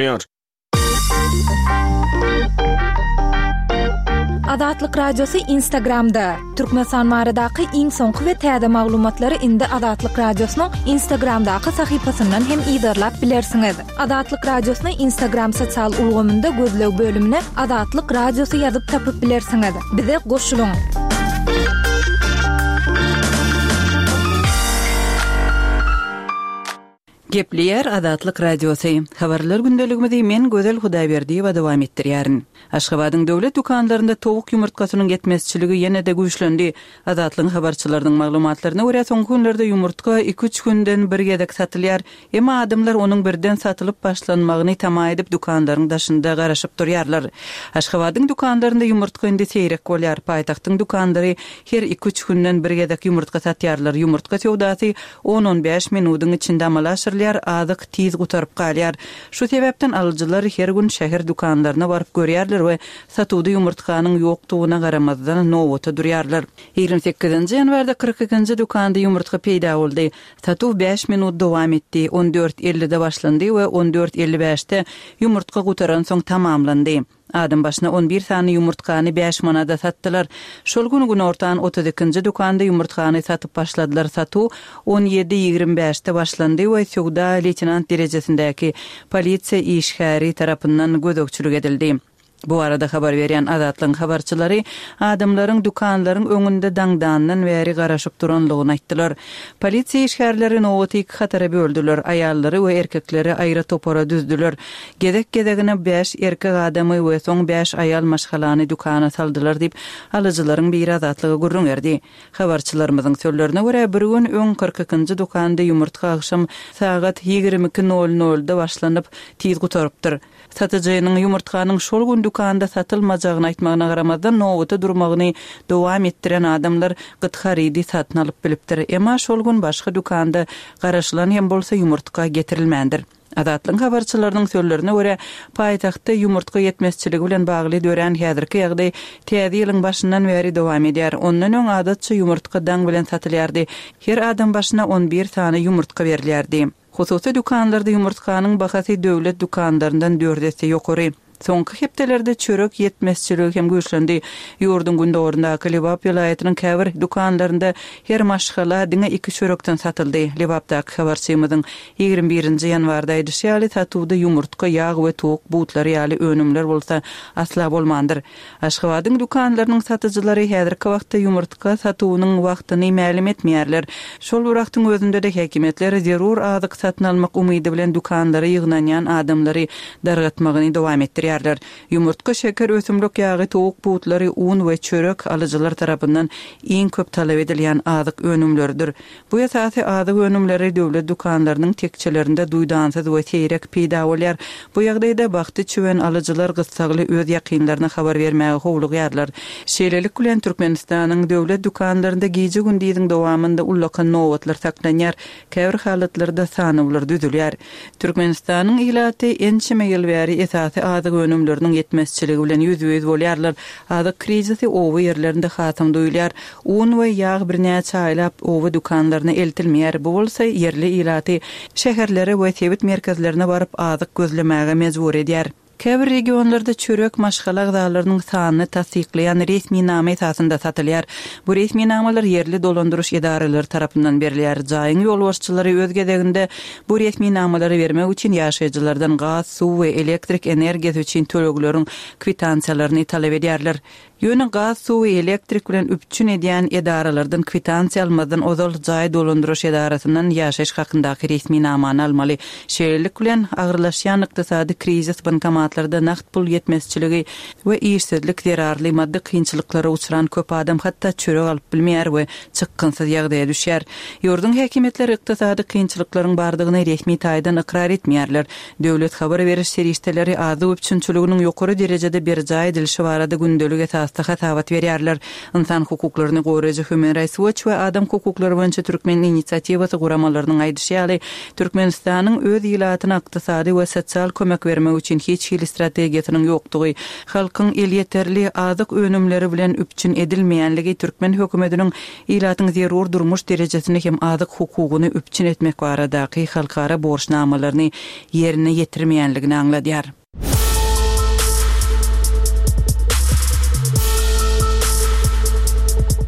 Ýar. Azatlyk Radiosy Instagramda, Türkmenistan baradaky iň soňky we täze maglumatlary indi Azatlyk Radiosynyň Instagramdaky sahypasyndan hem yzarlap bilersiňiz. Azatlyk Radiosyny Instagram sosial ulgamynda gözleg bölümine Azatlyk Radiosy ýazyp tapyp bilersiňiz. Bize goşulyň! Gepleýär Azatlyk Radiosy. Habarlar gündeligimizi men Gözel Hudaýberdiýewa dowam etdirýärin. Aşgabadyň döwlet dükanlarynda towuk ýumurtgasynyň ýetmezçiligi ýene-de güýçlendi. Azatlygyň habarçylarynyň maglumatlaryna görä, soňky günlerde ýumurtga iki-üç günden bir gezek satylýar. Emma adamlar onuň birden satylyp başlanmagyny tama edip dükanlaryň daşynda garaşyp durýarlar. Aşgabadyň dükanlarynda ýumurtga indi seýrek bolýar. Paýtagtyň dükanlary her iki-üç günden bir gezek ýumurtga satýarlar. Ýumurtga söwdasy On-on bäş minudyň içinde amala aşyrylýar, azyk tiz gutaryp galýar. Şu sebäpden alyjylar her gün şäher dükanlaryna baryp görýärler we satuwda ýumurtganyň ýokdugyna garamazdan nobata durýarlar. 28-nji ýanwarda 42-nji dükanda ýumurtga peýda boldy. Satuw bäş minut dowam etdi, on dört ellide başlandy we on dört elli bäşde ýumurtga gutaransoň tamamlandy. Adam başyna on bir sany ýumurtgany bäş manada satdylar. Şol gün günortan otuz ikinji dükanda ýumurtgany satyp başladylar. Satuw on ýedi ýigrimi bäşde başlandy we söwda leýtenant derejesindäki polisiýa işgäri tarapyndan gözegçilik edildi. Bu barada habar berýän Azatlygyň habarçylary adamlaryň dükanlaryň öňünde daňdandan bäri garaşyp duranlygyny aýtdylar. Polisiýa işgärleri nobaty iki hatara böldüler, aýallary we erkekleri aýry topara düzdüler. Gezek-gezegine bäş erkek adamy we soň bäş aýal maşgalany dükana saldylar diýip, alyjylaryň biri Azatlyga gürrüň berdi. Habarçylarymyzyň sözlerine görä, bir gün öň 42-nji dükanda ýumurtga agşam sagat 22 nol nolda başlanyp, tiz gutarypdyr. Satyjynyň ýumurtganyň şol gün dükanda satylmajagyny aýtmagyna garamazdan, nobata durmagyny dowam etdiren adamlar gyt harydy satyn alyp bilipdir. Emma şol gün başga dükanda garaşylan hem bolsa ýumurtga getirilmändir. Azatlygyň habarçylarynyň sözlerine görä, paýtagtda ýumurtga ýetmezçiligi bilen bagly dörän häzirki ýagdaý Täze ýylyň başyndan bäri dowam edýär. Ondan öň adatça ýumurtga daň bilen satylýardy. Her adam başyna on bir sany ýumurtga berilýärdi. Hususy dükanlarda ýumurtganyň bahasy döwlet dükanlaryndan dört esse ýokary. Soňky hepdelerde çörek ýetmezçiligi hem güýçlendi. Ýurduň gündogaryndaky Lebap welaýatynyň käbir dükanlarynda her maşgala diňe iki çörekden satyldy. Lebapdaky habarçymyzyň 21 nji ýanwarda aýdyşy ýaly, satuwda ýumurtga, ýag we towuk butlary ýaly önümler bolsa asla bolmandyr. Aşgabadyň dükanlarynyň satyjylary häzirki wagtda ýumurtga satuwynyň wagtyny mälim etmeýärler. Şol bir wagtyň özünde-de häkimiýetler zerur azyk satyn almak umydy bilen dükanlara ýygnanýan adamlary dargatmagyny dowam etdirýärler. Ýumurtga, şeker, ösümlik ýagy, towuk butlary, un we çörek alyjylar tarapyndan iň köp talap edilýän azyk önümleridir. Bu esasy azyk önümleri döwlet dükanlarynyň tekjelerinde duýdansyz we seýrek peýda bolýar. Bu ýagdaýda bagty çüwen alyjylar gyssagly öz ýakynlaryna habar bermäge howlugýarlar. Şeýlelik bilen, Türkmenistanyň döwlet dükanlarynda gije-gündiziň dowamynda ullakan nobatlar saklanýar, käbir halatlarda sanawlar düzülýär. Türkmenistanyň ilaty ençeme ýyl bäri esasy azyk önümleriniň ýetmezçiligi bilen ýüzbe-ýüz bolýarlar. Azyk krizisi oba ýerlerinde hasam duýulýar. Un we ýag birnäçe aýlap oba dükanlaryna eltilmeýär, bu bolsa ýerli ilaty şäherlere we sebit merkezlerine baryp azyk gözlemäge mejbur edýär. Käbir regionlarda çörek maşgala agzalarynyň sanyny tassyklaýan resminama esasynda satylýar. Bu resminamalar ýerli dolandyryş edaralary tarapyndan berilýär. Jaýyň ýolbaşçylary öz gezeginde bu resminamalary bermek üçin ýaşaýjylardan gaz, suw we elektrik energiýasy üçin tölegleriň kwitansiýalaryny talap edýärler. Ýöne gaz, suw we elektrik bilen üpjün edýän edaralardan kwitansiýa almazdan ozal jaý dolandyryş edarasyndan ýaşaýyş hakyndaky resminamany almaly. Şeýlelik bilen, agyrlaşýan ykdysady krizis bankomatlarda nagt pul ýetmezçiligi we işsizlik zerarly maddy kynçylyklara uçran köp adam hatda çörek alyp bilmeýär we çykgynsyz ýagdaýa düşýär. Ýurduň häkimiýetleri ykdysady kynçylyklaryň bardygyny resmi taýdan ykrar etmeýärler. Döwlet habar beriş serişdeleri azyk üpjünçiliginiň ýokary derejede berjaý edilişi barada gündelik esasda. esasda hasabat berýärler. Ynsan hukuklaryny goraýjy Human Rights Watch we Adam hukuklary boýunça Türkmen inisiatiwasy guramalarynyň aýdyşy ýaly, Türkmenistanyň öz ilatyna ykdysady we sosial kömek bermek üçin hiç hili strategiýasynyň ýokdugy, halkyň elýeterli azyk önümleri bilen üpjün edilmeýänligi türkmen hökümetiniň ilatyň zerur durmuş derejesini hem azyk hukugyny üpjün etmek baradaky halkara borçnamalaryny ýerine ýetirmeýänligini aňladýar.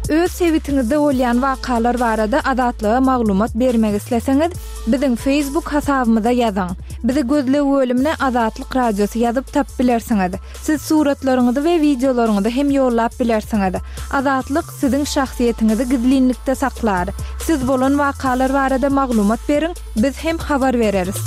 Öz sebitiňizde bolýan wakalar barada Azatlyga maglumat bermek isleseňiz, biziň Facebook hasabymyza ýazyň. Bizi gözleg bölümine Azatlyk Radiosy ýazyp tapyp bilersiňiz. Siz suratlaryňyzy we wideolaryňyzy hem ýollap bilersiňiz. Azatlyk siziň şahsyýetiňizi gizlinlikde saklar. Siz bolan wakalar barada maglumat beriň, biz hem habar bereris.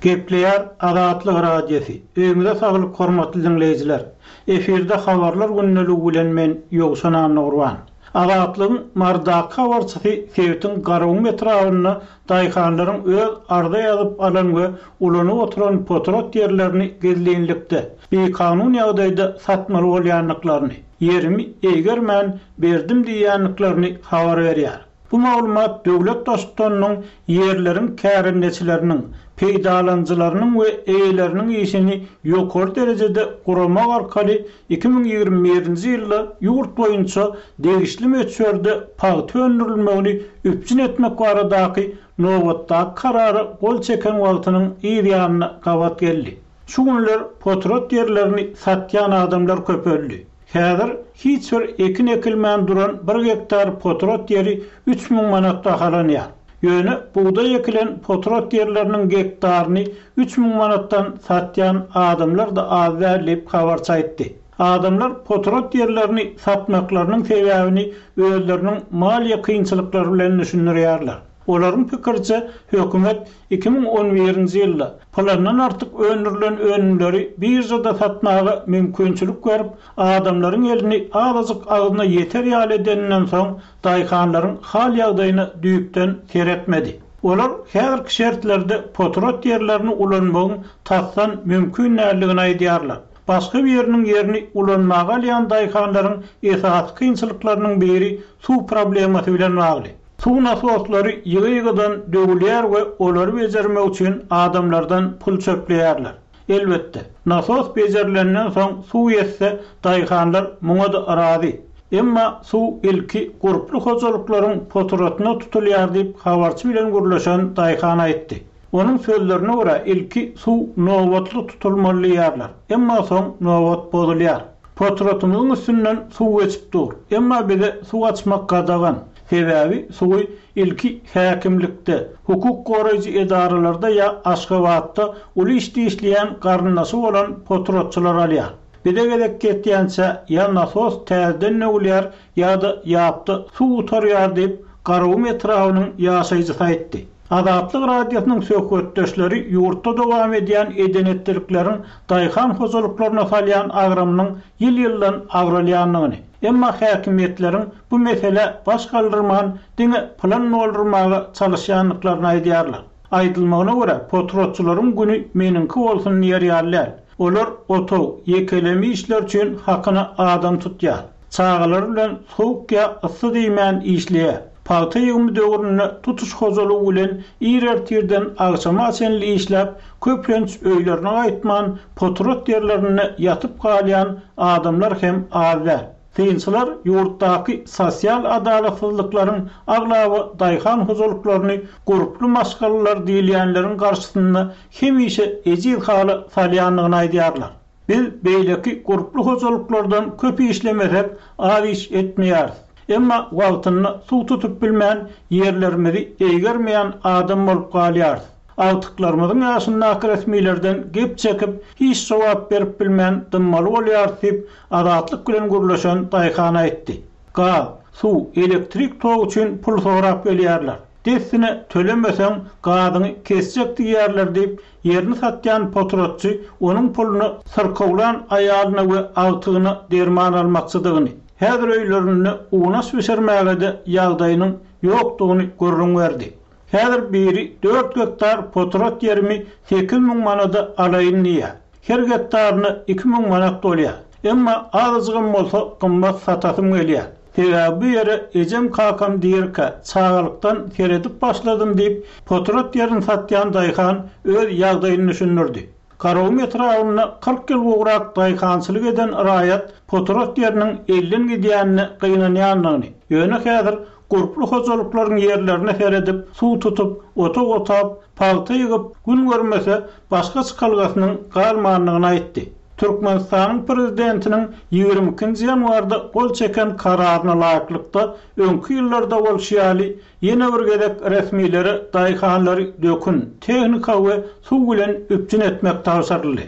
Gepleýär Azatlyk Radiosy. Öýüňize saglyk hormatly diňleýjiler. Efirde habarlar gündeligi bilen men Ýowşan Annagurban. Azatlygyň Marydaky habarçysy sebitiň Garagum etrabynda daýhanlaryň öz arza ýazyp alan we ulanyp oturan potrat ýerlerini gizlinlikde, bikanun ýagdaýda satmaly bolýandyklaryny, ýerimi eýgermän berdim diýýändiklerini habar berýär. Bu maglumat döwlet Baştutanynyň ýerleriň kärendeçileriniň, peýdalanyjylarynyň we eýeleriniň işini ýokary derejede guramak arkaly 2021-nji ýylda ýurt boýunça degişli möçberde pagta öndürilmegini üpjün etmek baradaky nobatdaky Karara gol çeken wagtynyň yz ýanyna gabat geldi. Şu günler potrat ýerlerini satýan adamlar köpeldi. Häzir hiç bir ekin ekilmän duran bir gektar potrat ýeri 3000 manat bahalanýar. Ýöne bugdaý ekilen potrat ýerleriniň gektaryny 3000 manatdan satýan adamlar-da az däl diýip, habarçy aýtdy. Adamlar potrat ýerlerini satmaklarynyň sebäbini özleriniň maliýe kynçylyklary bilen düşündirýärler. Olaryň pikiriçe, hökümet 2011-nji ýylda plandan artyk öndürilen önümleri biržada satmaga mümkinçilik berip, adamlaryň elini azajyk agzyna ýeter ýaly edeninden soň, daýhanlaryň hal-ýagdaýyna düýpden seretmedi. Olar häzirki şertlerde potrat ýerlerini ulanmagyň tasdan mümkin däldigini aýdýarlar. Başga biriniň ýerini ulanmaga alýan daýhanlaryň esasy kynçylyklarynyň biri suw problemasy bilen bagly. Suw nasoslary ýygy-ýygydan döwülýär we olary bejermek üçin adamlardan pul çöpleýärler. Elbetde, nasos bejerilenden soň suw ýetse, daýhanlar muňa-da razy. Emma suw ilki gurply hojalyklaryň poturatyna tutulýar diýip, habarçy bilen gürleşen daýhan aýtdy. Onuň sözlerine görä, ilki suw nobatly tutulmaly diýýärler, emma soň nobat bozulýar. Potratymyzyň üstünden suw geçip dur. Emma bize suw açmak gadagan. Sebäbi suwy ilki häkimlikde, hukuk goraýjy edaralarda ýa Aşgabatda uly işde işleýän garyndaşy bolan potratçylar alýar. Bize gezek ýetýänçä ýa nasos täzeden döwülýär ýa-da ýapda suw gutarýar diýip, Garagum etrabynyň ýaşaýjysy aýtdy. Azatlyk Radiosynyň söhbetdeşleri ýurtda dowam edýän eden-etdilikleriň daýhan hojalyklaryna salýan agramynyň ýyl-ýyldan agralýandygyny, emma häkimiýetleriň bu meselä baş galdyrman, diňe plan doldurmaga çalyşýandyklaryny aýdýarlar. Aýdylmagyna görä, potratçylaryň güni meniňki bolsun diýer ýaly däl. Olar otag, ýekeleme işler üçin hakyna adam tutýar. Çagalary bilen sowuk ýa yssy diýmän işleýär. Pagta ýygymy döwründe tutuş hojalygy bilen ir ertirden agşama çenli işläp, köplenç öýlerine gaýtman, potrat ýerlerinde ýatyp galýan adamlar hem az däl. Synçylar ýurtdaky sosial adalatsyzlyklaryň aglaba daýhan hojalyklaryny gurply maşgalalar diýilýänleriň garşysynda hemişe ejiz hala salýandygyny aýdýarlar. Biz beýleki gurply hojalyklardan köp işlemesek, az iş etmeýäris. Emma wagtynda suw tutup bilmän, ýerlerimizi eýgermeýän adam bolup galýarys. Agtyklarymyzyň ýaşyndaky resmilerden gep çekip, hiç jogap berip bilmän dymmaly bolýarys diýip, Azatlyk bilen gürleşen daýhan aýtdy. Gaz, suw, elektrik togy üçin pul sorap gelýärler. Dessine tölemeseň, gazyňy kesjek diýýärler diýip, Ýerini satýan potratçy onuň puluna syrkawlan aýalyna we agtygyna derman almakçydygyny, häzir öýlerinde unaş bişirmäge-de ýagdaýynyň ýokdugyny gürrüň berdi. Häzir biri dört gektar potrat ýerimi 8000 manada alaýyn diýýär. Her gektaryna 2000 manat bolýar. Emma azajygam bolsa gymmat satasym gelýär. Sebäbi bu ýere ejem-kakam dirikä, çagalykdan seredip başladym diýip, potrat ýerini satýan daýhan öz ýagdaýyny düşündirdi. Garagum etrabynda 40 ýyl gowrak daýhançylyk eden raýat potrat ýeriniň elden gidýänine gynanýandygyny, ýöne häzir gurply hojalyklaryň ýerlerine seredip, suw tutup, otag otap, pagta ýygyp, gün görmese, başga çykalgasynyň galmandygyny aýtdy. Türkmenistanyň Prezidentiniň 22-nji ýanwarda gol çeken Kararyna laýyklykda, öňki ýyllarda bolşy ýaly, ýene bir gezek resmilere daýhanlary dökün, tehnika we suw bilen üpjün etmek tabşyryldy.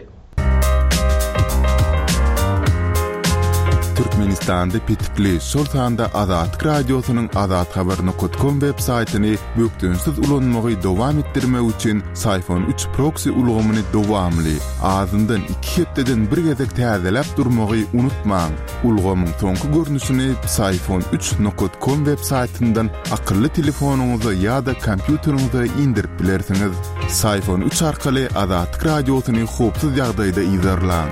Türkmenistanda petikli, şol sanda Azatlyk Radiosynyň azathabar nokat kom web saýtyny bökdençsiz ulanmagy dowam etdirmek üçin Syfon üç proksi ulgamyny dowamly, azyndan iki hepdeden bir gezek täzeläp durmagy unutmaň. Ulgamyň soňky görnüşini Psiphon üç nokat kom web saýtyndan akylly telefonyňyza ýa-da kompýuteriňize indirip bilersiňiz. Psiphon üç arkaly Azatlyk Radiosyny howpsuz ýagdaýda yzarlaň.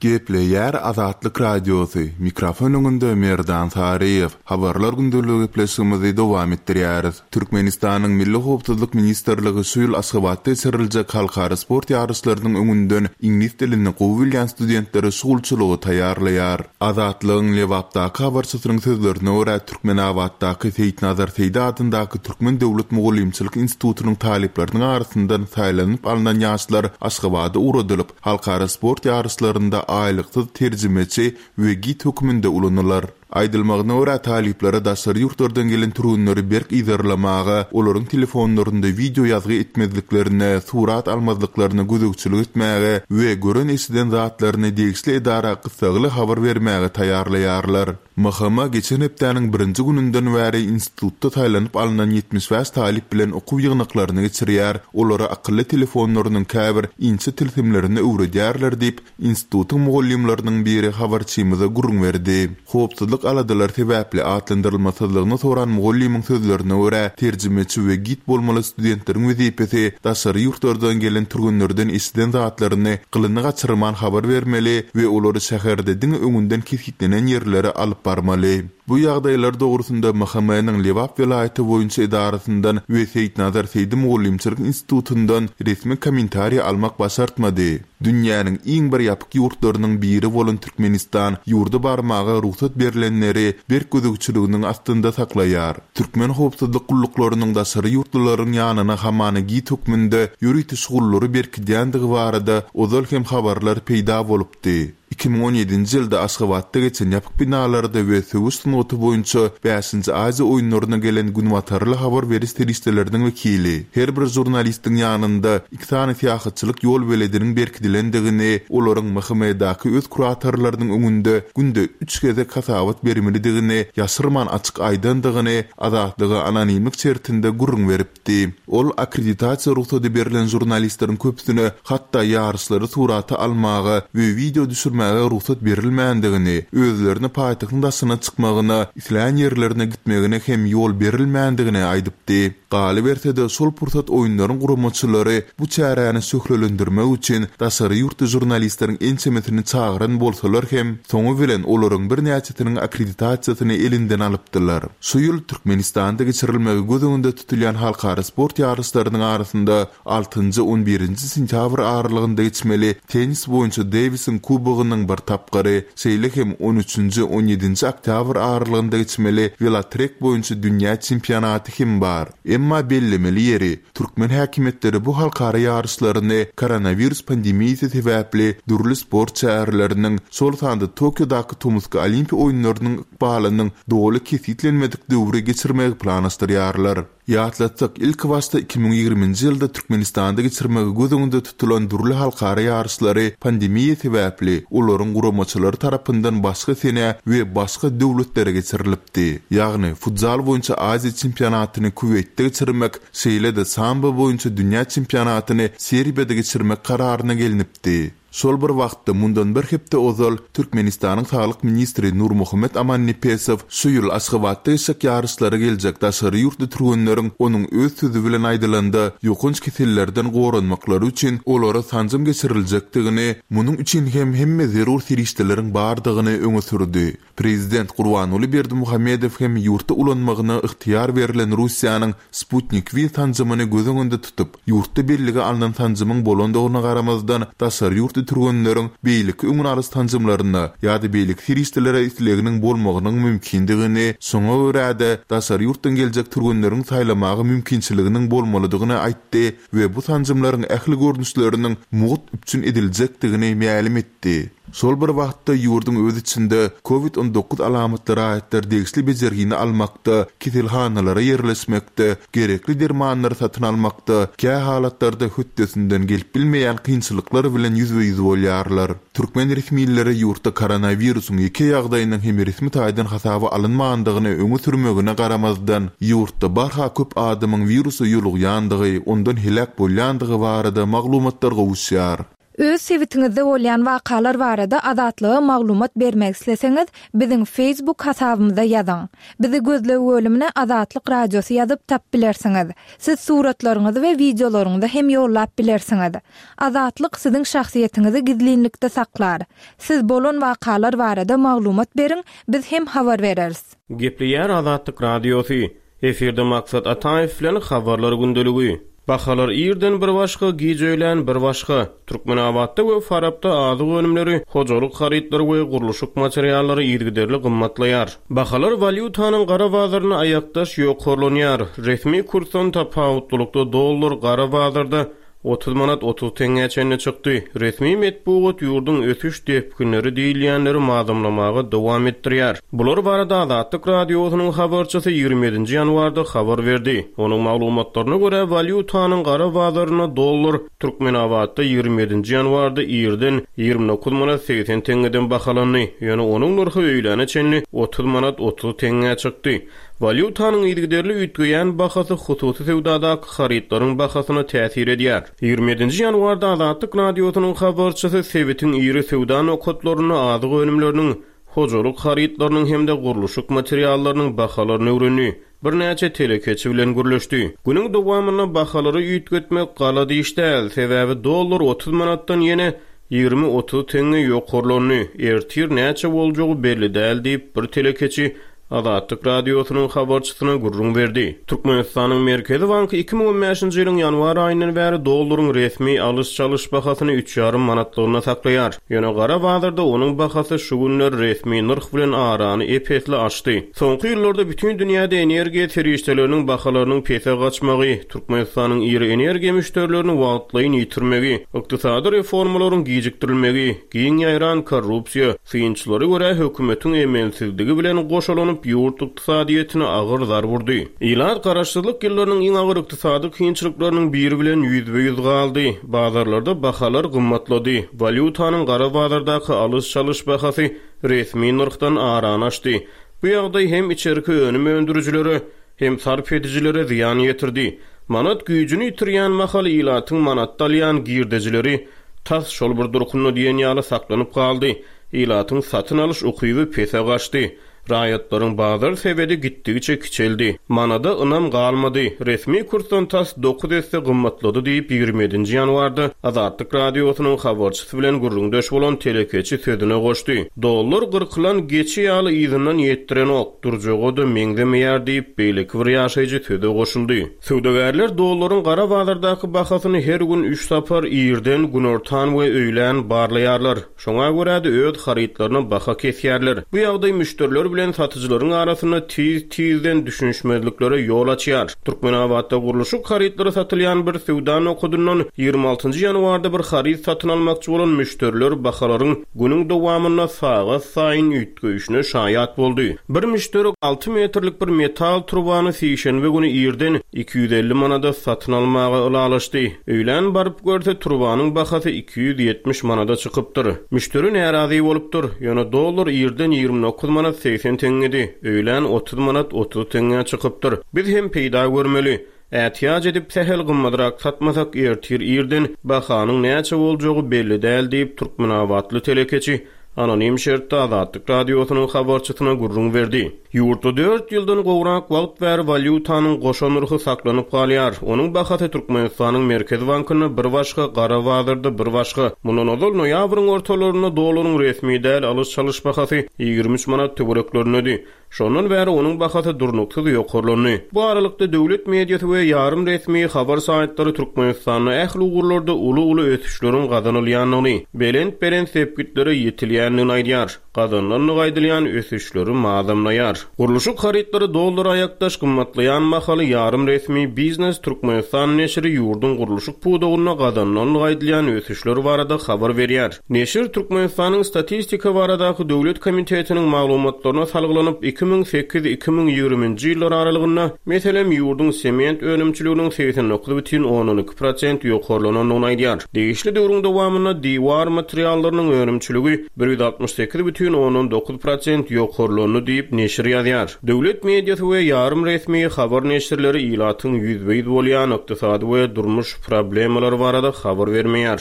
Gepleýär Azatlyk Radiosy, mikrofon öňünde Merdan Saryýew. Habarlar gündeligi gepleşigimizi dowam etdirýäris. Türkmenistanyň Milli howpsuzlyk ministrligi şu ýyl Aşgabatda geçiriljek halkara sport ýaryşlarynyň öňünden iňlis dilini gowy bilýän studentleri şugulçylyga taýýarlaýar. Azatlygyň Lebapdaky habarçysynyň sözlerine görä, Türkmenabatdaky Seýitnazar Seýdi adyndaky Türkmen döwlet mugallymçylyk institutynyň talyplarynyň arasyndan saýlanyp alnan ýaşlar Aşgabada ugradylyp, halkara sport ýaryşlarynda aýlyksyz terjimeçi we gid hökmünde ulanylar. Aýdylmagyna görä, talyplara daşary ýurtlardan gelen türgenleri berk yzarlamaga, olaryň telefonlarynda wideo ýazgy etmezliklerine, surat almazlyklaryna gözegçilik etmäge we gören-eşiden zatlaryny degişli edara gyssagly habar bermäge taýýarlaýarlar. MHM geçen hepdäniň birinji gününden bäri institutda saýlanyp alnan 75 talyp bilen okuw ýygnaklaryny geçirýär, olara akylly telefonlarynyň käbir inçe tilsimlerini öwredýärler diýip, Institutyň mugallymlarynyň biri habarçymyza gürrüň berdi. Howpsuzlyk aladalary sebäpli atlandyrylmasyzlygyny soran mugallymyň sözlerine görä, terjimeçi we gid bolmaly studentleriň wezipesi daşary ýurtlardan gelen türgenlerden eşiden zatlaryny gylyny gaçyrman habar bermeli we olary şäherde diňe öňünden kesgitlenen ýerlere alyp barmaly. Bu ýagdaýlar dogrusynda MHM-niň Lebap welaýaty boýunça edarasyndan we Seýitnazar Seýdi mugallymçylyk institutyndan resmi kommentariý almak başartmady. Dünýäniň iň bir ýapyk ýurtlarynyň biri bolan Türkmenistan ýurda barmaga rugsat berlenleri berk gözegçiliginiň astynda saklaýar. Türkmen howpsuzlyk gulluklarynyň daşary ýurtlularyň ýanyna hamana gid hökmünde ýörite şugullary berkidýändigi barada ozal hem habarlar peýda bolupdy. 2017-nji ýylda Aşgabatda geçen ýapyk binalarda we söweş sungaty boýunça bäşinji Aziýa oýunlaryna gelen günbatarly habar beriş serişdeleriniň wekili her bir žurnalistiň ýanynda iki sany syýahatçylyk ýolbelediniň berkidilendigini, olaryň MHM-daky öz kuratorlarynyň öňünde günde üç gezek hasabat bermelidigini ýaşyrman açyk aýdandygyny Azatlyga anonimlik şertinde gürrüň beripdi. Ol akkreditasiýa rugsady berlen žurnalistleriň köpüsine hatda ýaryşlary surata almaga we wideo düşürmäge rugsat berilmändigini, özlerine paýtagtyň daşyna çykmagyna, islän ýerlerine gitmegine hem ýol berilmändigini aýdypdy. Galyberse-de, şol pursat oýunlaryň guramaçylary bu çäräni şöhlelendirmek üçin daşary ýurtly žurnalistleriň ençemesini çagyran bolsalar hem, soňy bilen olaryň birnäçesiniň akkreditasiýasyny elinden alypdylar. Şu ýyl Türkmenistanda geçirilmegi göz öňünde tutulýan halkara sport ýaryşlarynyň arasynda altynjy-on birinji sentýabr aralygynda geçmeli tennis boýunça Dewisiň kubogynyň bir tapgyry, şeýle hem on üçünji, on ýedinji oktýabr aralygynda geçmeli welotrek boýunça dünýä çempionaty hem bar. Emma bellemeli ýeri, türkmen häkimiýetleri bu halkara ýaryşlaryny koronawirus pandemiýasy sebäpli dürli sport çäreleriniň, şol sanda Tokiodaky tomusky Olimpiýa oýunlarynyň ykbalynyň doly kesgitlenmedik döwri geçirmegi planlaşdyrýarlar. Ýatlatsak, ilkibaşda 2020-nji ýylda Türkmenistanda geçirmegi göz öňünde tutulan dürli halkara ýaryşlary pandemiýa sebäpli olaryň guramaçylary tarapyndan başga senä we başga döwletlere geçirilipdi. Ýagny, futzal boýunça Aziýa çempionatyny Kuweýtde geçirmek, şeýle-de sambo boýunça dünýä çempionatyny Serbiýada geçirmek kararyna gelnipdi. Şol bir wagtda, mundan bir hepde ozal, Türkmenistanyň saglyk ministri Nurmuhammet Amannepesow şu ýyl Aşgabatda geçjek ýaryşlara geljek daşary ýurtly türgenleriň, onuň öz sözi bilen aýdylanda, ýokanç kesellerden goranmaklary üçin olara sanjym geçiriljekdigini, munuň üçin hem hemme zerur serişdeleriň bardygyny öňe sürdi. Prezident Gurbanguly Berdimuhamedow hem ýurtda ulanmagyna ygtyýar berlen Russiýanyň Sputnik V sanjymyny göz öňünde tutup, ýurtda bellige alnan sanjymyň bolandygyna garamazdan, daşary ýurtly türgenleriň beýleki öňüni alyş sanjymlaryna ýa-da beýleki serişdelere isleginiň bolmagynyň mümkindigini, şoňa görä-de, daşary ýurtdan geljek türgenleriň saýlamaga mümkinçiliginiň bolmalydygyny aýtdy we bu sanjymlaryň ähli görnüşleriniň mugt üpjün ediljekdigini mälim etdi. Şol bir wagtda, ýurduň öz içinde Covid 19 alamatly raýatlar degişli bejergini almakda, keselhanalara ýerleşmekde, gerekli dermanlary satyn almakda, kä halatlarda hötdesinden gelip bilmeýän kynçylyklar bilen ýüzbe-ýüz bolýarlar. Türkmen resmileri ýurtda koronawirusyň ýeke ýagdaýynyň hem resmi taýdan hasaba alynmandygyny öňe sürmegine garamazdan, ýurtda barha köp adamyň wirusa ýolugýandygy, ondan heläk bolýandygy barada maglumatlar gowuşýar. Öz sebitiňizde bolýan wakalar barada Azatlyga maglumat bermek isleseňiz, biziň Facebook hasabymyza ýazyň. Bizi gözleg bölümine Azatlyk Radiosy ýazyp tap bilersiňiz. Siz suratlaryňyzy we wideolaryňyzy hem ýollap bilersiňiz. Azatlyk siziň şahsyýetiňizi gizlinlikde saklar. Siz bolan wakalar barada maglumat beriň, biz hem habar bereris. Gepleýär Azatlyk Radiosy. Efirde Maksat Ataýew bilen Habarlar gündeligi. Bahalar irden bir başga, giç öýlän bir başga. Türkmenabatda we Farapda azyk önümleri, hojalyk harytlary we gurluşyk materiallary yzygiderli gymmatlaýar. Bahalar walýutanyň gara bazarynda aýakdaş ýokarlanýar. Resmi kursdan tapawutlylykda dollar gara bazarda 30 manat 30 teňňä çenli çykdy. Resmi metbugat ýurduň ösüş depginleri diýilýänleri mazamlamaga dowam etdirýär. Bular barada Azatlyk Radiosynyň habarçysy 27-nji ýanwarda habar berdi. Onuň maglumatlaryna görä, walýutanyň gara bazarynda dollar Türkmenabatda 27-nji ýanwarda irden 29 manat 80 teňňeden bahalandy. Ýöne onuň nyrhy öýläne çenli 30 manat 30 teňňä çykdy. Walýutanyň yzygiderli üýtgeýän bahasy hususy söwdadaky harytlaryň bahasyna täsir edýär. 27-nji ýanwarda Azatlyk Radiosynyň habarçysy sebitiň iri söwda nokatlarynda azyk önümleriniň, hojalyk harytlarynyň hem-de gurluşyk materiallarynyň bahalaryny öwrendi, birnäçe telekeçi bilen gürleşdi. Günüň dowamynda bahalary üýtgetmek galady iş däl, sebäbi dollar 30 manatdan ýene 20-30 teňňe ýokarlandy, ertir näçe boljagy belli däl diýip, bir telekeçi Azatlyk Radiosynyň habarçysyna gürrüň berdi. Türkmenistanyň Merkezi banky 2015-nji ýylyň ýanwar aýyndan bäri dollaryň resmi alyş-çalyş bahasyny üç ýarym manatlygyna saklaýar. Ýöne gara bazarda onuň bahasy şu günler resmi nyrh bilen arany ep-esli açdy. Soňky ýyllarda bütin dünýäde energiýa serişdeleriniň bahalarynyň pese gaçmagy, Türkmenistanyň iri energiýa müşderilerini wagtlaýyn ýitirmegi, ykdysady reformalaryň gijikdirilmegi, giň ýaýran korrupsiýa, Synçylara görä, hökümetiň emelsizligi bilen goşalanyp, ýurt ykdysadyýetine agyr zarb urdy. Ilat garaşsyzlyk ýyllarynyň iň agyr ykdysady kynçylyklarynyň biri bilen ýüzbe-ýüz galdy. Bazarlarda bahalar gymmatlady, walýutanyň gara bazardaky alyş-çalyş bahasy resmi nyrhdan arany açdy. Bu ýagdaý hem içerki önüm öndürijilere, hem sarp edijilere zyýan ýetirdi. Manat güýjüni ýitirýän mahaly ilatyň manatda alýan girdejileri tas şol bir durkunda diýen ýaly saklanyp galdy, ilatyň satyn alyş ukyby pese gaçdy, raýatlaryň bazar sebedi gitdigiçe kiçeldi, manada ynam galmady, resmi kursdan tas dokuz esse gymmatlady diýip, 27-nji ýanwarda Azatlyk Radiosynyň habarçysy bilen gürrüňdeş bolan telekeçi sözüne goşdy. Dollar gyrkylan geçi ýaly yzyndan ýetdirenok, durjaga-da meňzemeýär diýip, beýleki bir ýaşaýjy söze goşuldy. Söwdagärler dollaryň gara bazardaky bahasyny her gün üç sapar, irden, günortan we öýlän barlaýarlar. Şoňa görä-de öz harytlaryna baha kesýärler. Bu ýagdaý müşderiler bilen satyjylaryň arasynda tiz-tizden düşünişmezliklere ýol açýar. Türkmenabatda gurluşyk harytlary satylýan bir söwda nokadyndan 26-njy ýanwarda bir haryt satyn almakçy bolan müşderiler bahalaryň günüň dowamynda sagat saýyn üýtgeýşine şaýat boldy. Bir müşderi alty metrlik bir metal turbany sişenbe güni irden 250 manada satyn almaga ylalaşdy. Öýlän baryp görse, turbanyň bahasy 270 manada çykypdyr. Müşderi närazy bolupdyr. Ýöne dollar irden 29 manat 80 teňňedi, öýlän 30 manat 30 teňňä çykypdyr. Biz hem peýda görmeli. Ätiýaç edip, sähel gymmadrak satmasak, ertir irden bahanyň näçe boljagy belli däl diýip, türkmenabatly telekeçi anonim şertde Azatlyk Radiosynyň habarçysyna gürrüň berdi. Ýurtda dört ýyldan gowrak wagt bäri walýutanyň goşa nyrhy saklanyp galýar. Onuň bahasy Türkmenistanyň Merkezi bankynda bir başga, gara bazarda bir başga. Mundan ozal noýabryň ortalarynda dollaryň resmi däl alyş-çalyş bahasy 23 manat töwereklerindedi. Şondan bäri onuň bahasy durnuksyz ýokarlandy. Bu aralykda, döwlet mediasy we ýarym resmi habar saýtlary Türkmenistanda ähli ugurlarda uly-uly ösüşleriň gazanylýandygyny, belent-belent sepgitlere ýetilýändigini aýdýar, gazanylandygy aýdylýan ösüşleri mazamlaýar. Gurluşyk harytlary dollara aýakdaş gymmatlaýan mahaly ýarym resmi Biznes Türkmenistan neşiri ýurduň gurluşyk pudagynda gazanylandygy aýdylýan ösüşler barada habar berýär. Neşir Türkmenistanyň Statistika baradaky döwlet komitetiniň maglumatlaryna salgylanyp, 2008, 2020-nji ýyllar aralygynda, meselem, ýurduň sement önümçiliginiň 89 bütin ondan iki prosent ýokarlanandygyny aýdýar. Degişli döwrüň dowamynda diwar materiallarynyň önümçiligi 168 bütin ondan dokuz prosent ýokarlandy diýip, neşir ýazýar. Döwlet mediasy we ýarym resmi habar neşirleri ilatyň ýüzbe-ýüz bolýan ykdysady we durmuş problemalary barada habar bermeýär.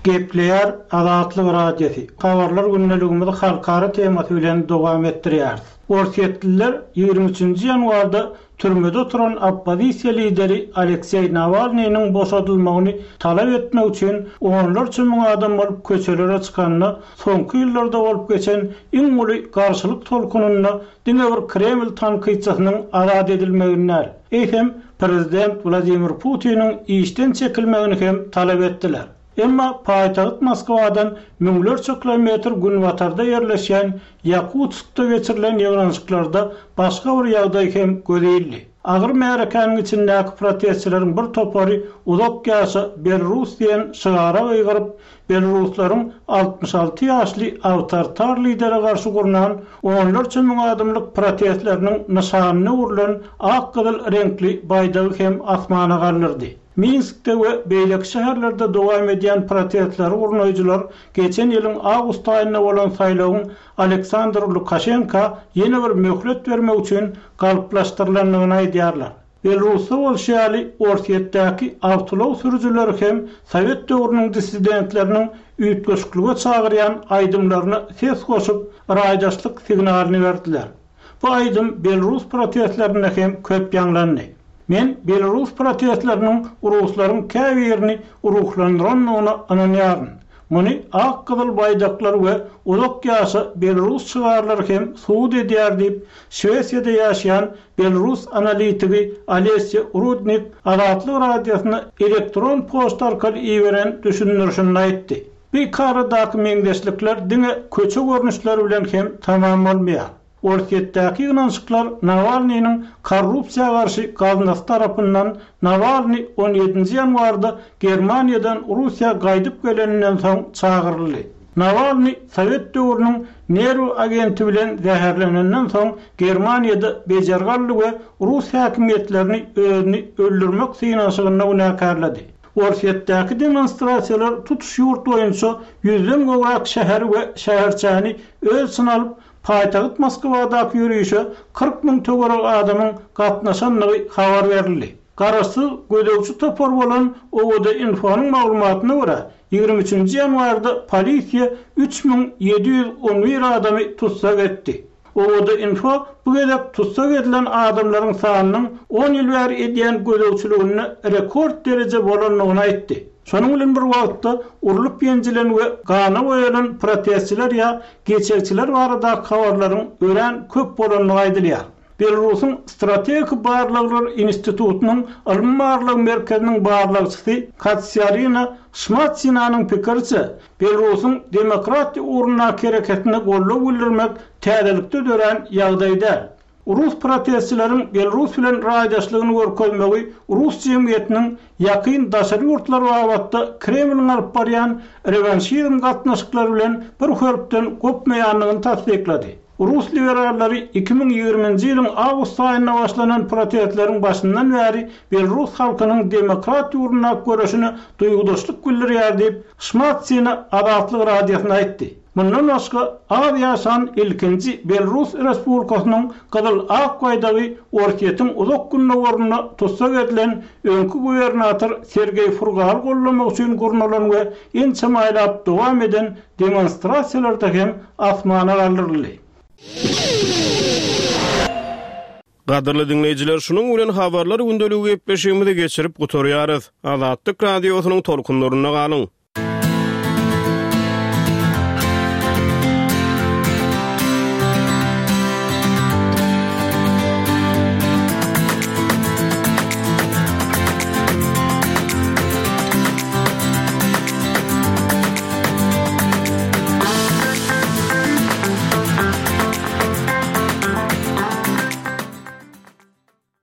Gepleýär Azatlyk Radiosy, Habarlar gündeligimizi halkara temasy bilen dowam etdirýäris. Orsýetliler 23 nji ýanwarda türmede oturan oppozisiýa lideri Alekseý Nawalnynyň boşadylmagyny talap etmek üçin onlarça müň adam bolup köçelere çykanda soňky ýyllarda bolup geçen iň uly garşylyk tolkunynda diňe bir Kreml tankytçysynyň azat edilmegini däl, eýsem, prezident Wladimir Putiniň işden çekilmegini hem talap etdiler. Emma paýtagt Moskwadan müňlerçe kilometr günbatarda ýerleşýän Ýakutskda geçirilen ýygnanyşyklarda başga bir ýagdaý hem göze ildi. Agyr märekäniň içindäki protestçileriň bir topary Uzak ýaşa, Belarus diýen şygara gygyryp, Belaruslaryň 66 ýaşly awtoritar lidere garşy gurnan onlarça müň adamlyk protestleriniň nyşanyna öwrülen ak-gyzyl reňkli baýdagy hem asmana galdyrdy. Minskde we beýleki şäherlerde dowam edýän protestleri gurnaýjylar geçen ýylyň awgust aýynda bolan saýlawyň Aleksandr Lukaşenka ýene bir möhlet bermek üçin galplaşdyrylandygyny aýdýarlar. Belarusda bolşy ýaly, Orsýetdäki awtoulag sürüjileri hem sowet döwrüniň dissidentleriniň üýtgeşiklige çagyrýan aýdymlaryna ses goşup, raýdaşlyk signalyny berdiler. Bu aýdym belarus protestlerinde hem köp ýaňlandy. Men belarus protestleriniň ruslaryň käbirini ruhlandyrandygyna ynanýaryn. Muny ak-gyzyl baýdaklar we Uzak ýaşa, Belarus şygarlary hem subut edýär diýip, Şwesiýada ýaşaýan belarus analitigi Olesýa Rudnik Azatlyk Radiosyna elektron poçta arkaly iberen düşündirişinde aýtdy. Bu ikaradaky meňzeşlikler diňe köçe görnüşleri bilen hem tamam bolmaýar. Orsýetdäki ýygnanyşyklar Nawalnynyň korrupsiýa garşy gaznasy tarapyndan Nawalny on ýedinji ýanwarda Germaniýadan Russiýa gaýdyp geleninden soň çagyryldy. Nawalny sowet döwrüniň nerw agenti bilen zäherlenenden soň Germaniýada bejergi aldy we rus häkimiýetlerini özüni öldürmek synanyşygynda günäkärledi. Orsýetdäki demonstrasiýalar tutuş ýurt boýunça ýüzden gowrak şäheri we şäherçäni öz içine alyp, Paýtagt Moskwadaky ýörişe 40 müň töweregi adamyň gatnaşandygy habar berildi. Garaşsyz gözegçi topar bolan OVD-Info-nyň maglumatyna görä, 23 nji ýanwarda polisiýa 3711 adamy tussag etdi. OVD-Info bu gezek tussag edilen adamlaryň sanynyň on ýyl bäri edýän gözegçiliginde rekord dereje bolandygyny aýtdy. Şonuň bilen bir wagtda, urlup-ýenjilen we gana boýalan protestçiler ýa geçegçiler baradaky habarlaryň örän köp bolandygy aýdylýar. Belarusyň Strategik barlaglar institutynyň ylmy-barlag merkeziniň barlagçysy Katsiarina Şmatsinanyň pikiriçe, Belarusyň demokratiýa ugrundaky hereketine goldaw bildirmek täzelikde dörän ýagdaý däl. Rus protestçileriň Belarus bilen raýdaşlygyny görkezmegi rus jemgyýetiniň ýakyn daşary ýurtlar babatda Kremliň alyp barýan rewanşizm gatnaşyklary bilen bir hörpden gopmaýandygyny tassyklady. Rus liberallary 2020-nji ýylyň awgust aýynda başlanan protestleriň başyndan bäri belarus halkynyň demokratiýa ugrundaky göreşine duýgudaşlyk bildirýär diýip, Şmatsina Azatlyk Radiosyna aýtdy. Mundan başga, az ýaşan ilkinji Belrus Respublikasynyň gyzyl-ak baýdagy Orsýetiň uzak gündogarynda tussag edilen öňki gubernator Sergeý Furgaly goldamak üçin gurnalan we ençeme aýlap dowam eden demonstrasiýalarda hem asmana galdyryldy. Gadyrly diňleýjiler, şunuň bilen Habarlar gündeligi gepleşigimizi geçirip gutarýarys. Azatlyk Radiosynyň tolkunlarynda galyň!